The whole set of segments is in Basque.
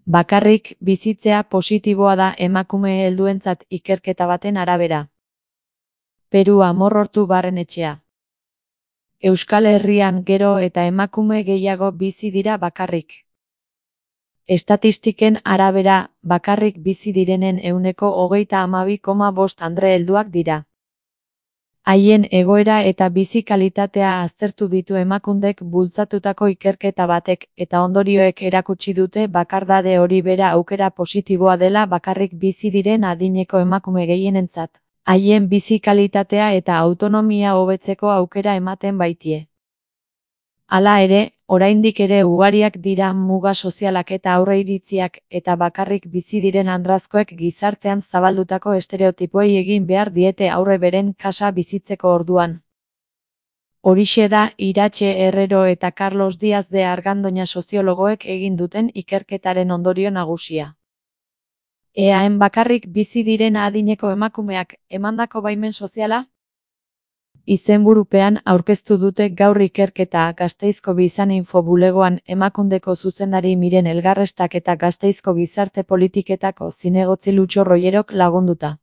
Bakarrik bizitzea positiboa da emakume helduentzat ikerketa baten arabera. Peru Amorortu Barrenetxea. Euskal Herrian gero eta emakume gehiago bizi dira bakarrik. Estatistiken arabera, bakarrik bizi direnen 32,5% andre helduak dira. Haien egoera eta bizi kalitatea aztertu ditu Emakundek bultzatutako ikerketa batek, eta ondorioek erakutsi dute bakardade hori bera aukera positiboa dela bakarrik bizi diren adineko emakume gehienentzat. Haien bizi kalitatea eta autonomia hobetzeko aukera ematen baitie. Hala ere, oraindik ere ugariak dira muga sozialak eta aurreiritziak eta bakarrik bizi diren andrazkoek gizartean zabaldutako estereotipoei egin behar diete aurre beren kasa bizitzeko orduan. Horixe da Iratxe Herrero eta Carlos Díaz de Argandoña soziologoek egin duten ikerketaren ondorio nagusia. Eaen bakarrik bizi diren adineko emakumeak emandako baimen soziala? Izenburupean aurkeztu dute gaur ikerketa Gasteizko Bizan Info bulegoan Emakundeko zuzendari Miren Elgarrestak eta Gasteizko Gizarte Politiketako zinegotzi Lutxo Roierok lagunduta.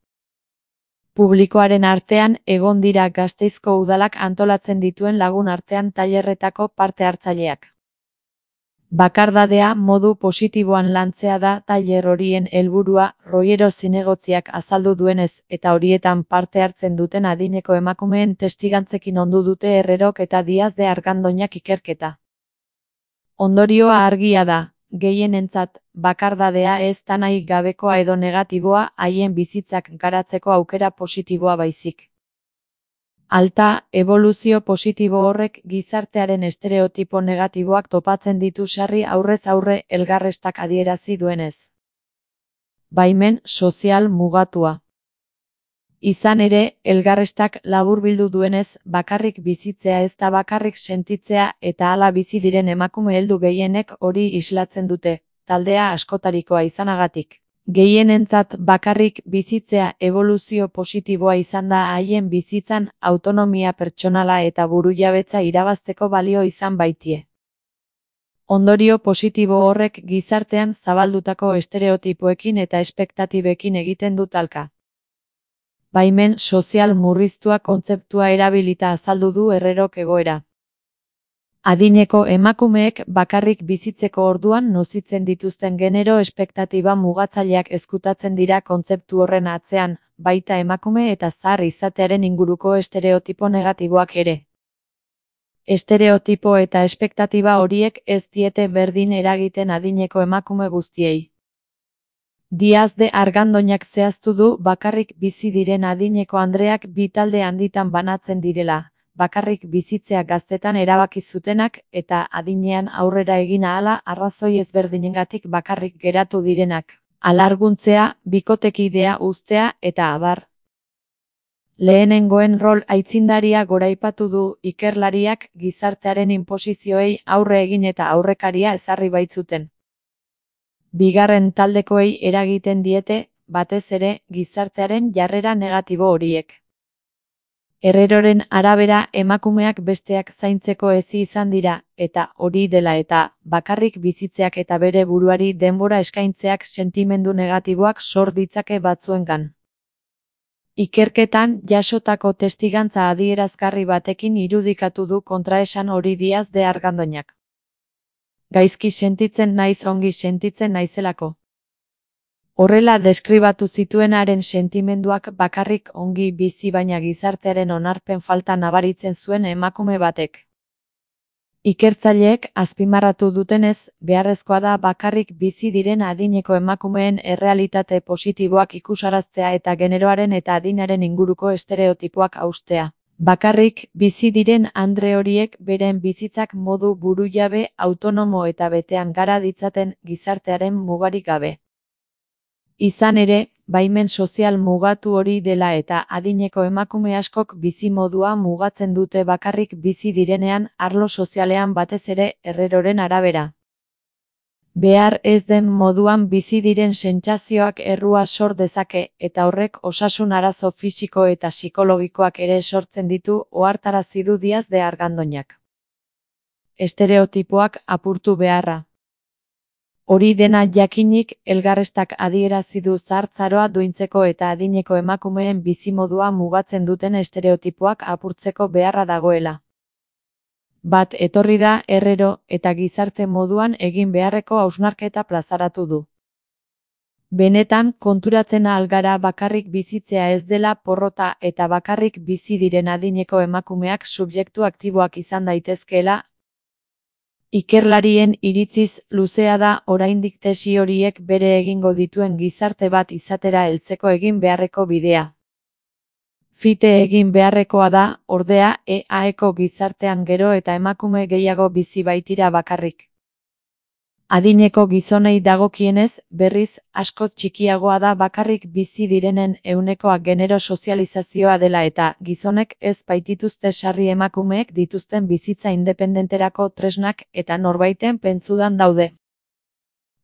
Publikoaren artean egon dira Gasteizko udalak antolatzen dituen lagun artean tailerretako parte hartzaileak. Bakardadea modu positiboan lantzea da tailer horien helburua, Roiero zinegotziak azaldu duenez, eta horietan parte hartzen duten adineko emakumeen testigantzekin ondu dute Herrerok eta Díaz de Argandoñak ikerketa. Ondorioa argia da, gehienentzat, bakardadea ez da nahi gabekoa edo negatiboa haien bizitzak garatzeko aukera positiboa baizik. Alta, eboluzio positibo horrek gizartearen estereotipo negatiboak topatzen ditu sarri aurrez aurre Elgarrestak adierazi duenez. Baimen sozial mugatua. Izan ere, Elgarrestak laburbildu duenez, bakarrik bizitzea ez da bakarrik sentitzea eta hala bizi diren emakume heldu gehienek hori islatzen dute, taldea askotarikoa izanagatik. Gehienentzat bakarrik bizitzea eboluzio positiboa izan da haien bizitzan autonomia pertsonala eta burujabetza irabazteko balio izan baitie. Ondorio positibo horrek gizartean zabaldutako estereotipoekin eta espektatibekin egiten du talka. Baimen sozial murriztua kontzeptua erabilita azaldu du Herrerok egoera. Adineko emakumeek bakarrik bizitzeko orduan nozitzen dituzten genero espektatiba mugatzaileak ezkutatzen dira kontzeptu horren atzean, baita emakume eta zahar izatearen inguruko estereotipo negatiboak ere. Estereotipo eta espektatiba horiek ez diete berdin eragiten adineko emakume guztiei. Díaz de Argandoñak zehaztu du bakarrik bizi diren adineko andreak bi talde handitan banatzen direla. Bakarrik bizitzea gaztetan erabaki zutenak eta adinean aurrera egin ahala arrazoi ezberdinengatik bakarrik geratu direnak. Alarguntzea, bikotekidea uztea eta abar. Lehenengoen rol aitzindaria goraipatu du ikerlariak gizartearen inposizioei aurre egin eta aurrekaria ezarri baitzuten. Bigarren taldekoei eragiten diete, batez ere, gizartearen jarrera negatibo horiek. Herreroren arabera emakumeak besteak zaintzeko ezi izan dira, eta hori dela eta, bakarrik bizitzeak eta bere buruari denbora eskaintzeak sentimendu negatiboak sor ditzake batzuengan. Ikerketan jasotako testigantza adierazgarri batekin irudikatu du kontraesan hori Díaz de Argandoñak. Gaizki sentitzen naiz ongi sentitzen naizelako. Horrela deskribatu zituenaren sentimenduak bakarrik ongi bizi baina gizartearen onarpen falta nabaritzen zuen emakume batek. Ikertzaileek azpimarratu dutenez, beharrezkoa da bakarrik bizi diren adineko emakumeen errealitate positiboak ikusaraztea eta generoaren eta adinaren inguruko estereotipoak haustea. Bakarrik bizi diren andre horiek beren bizitzak modu burujabe, autonomo eta betean gara ditzaten gizartearen mugarik gabe. Izan ere, baimen sozial mugatu hori dela eta adineko emakume askok bizimodua mugatzen dute bakarrik bizi direnean arlo sozialean batez ere Herreroren arabera. Behar ez den moduan bizi diren sentsazioak errua sor dezake eta horrek osasun arazo fisiko eta psikologikoak ere sortzen ditu ohartarazi du Díaz de Argandoñak. Estereotipoak apurtu beharra. Hori dena jakinik, elgarrestak adierazi du zahartzaroa duintzeko eta adineko emakumeen bizimodua mugatzen duten estereotipoak apurtzeko beharra dagoela. Bat etorri da Herrero eta gizarte moduan egin beharreko hausnarketa plazaratu du. Benetan, konturatzen ahal gara bakarrik bizitzea ez dela porrota eta bakarrik bizi diren adineko emakumeak subjektu aktiboak izan daitezkeela. Ikerlarien iritziz luzea da oraindik tesi horiek bere egingo dituen gizarte bat izatera heltzeko egin beharreko bidea. Fite egin beharrekoa da, ordea, EAeko gizartean gero eta emakume gehiago bizi baitira bakarrik. Adineko gizonei dagokienez, berriz, askoz txikiagoa da bakarrik bizi direnen ehunekoa genero sozializazioa dela eta gizonek ez baitituzte sarri emakumeek dituzten bizitza independenterako tresnak eta norbaiten pentsudan daude.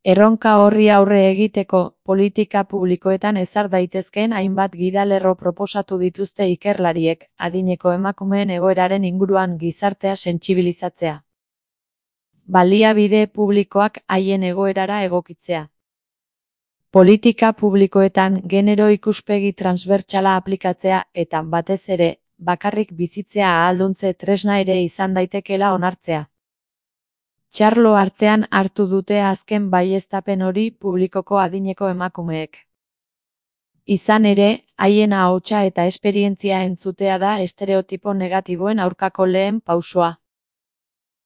Erronka horri aurre egiteko, politika publikoetan ezar daitezkeen hainbat gidalerro proposatu dituzte ikerlariek, adineko emakumeen egoeraren inguruan gizartea sentsibilizatzea. Baliabide publikoak haien egoerara egokitzea. Politika publikoetan genero ikuspegi transbertsala aplikatzea eta, batez ere, bakarrik bizitzea ahalduntze tresna ere izan daitekeela onartzea. Txarlo artean hartu dute azken baieztapen hori publikoko adineko emakumeek. Izan ere, haien ahotsa eta esperientzia entzutea da estereotipo negatiboen aurkako lehen pausoa.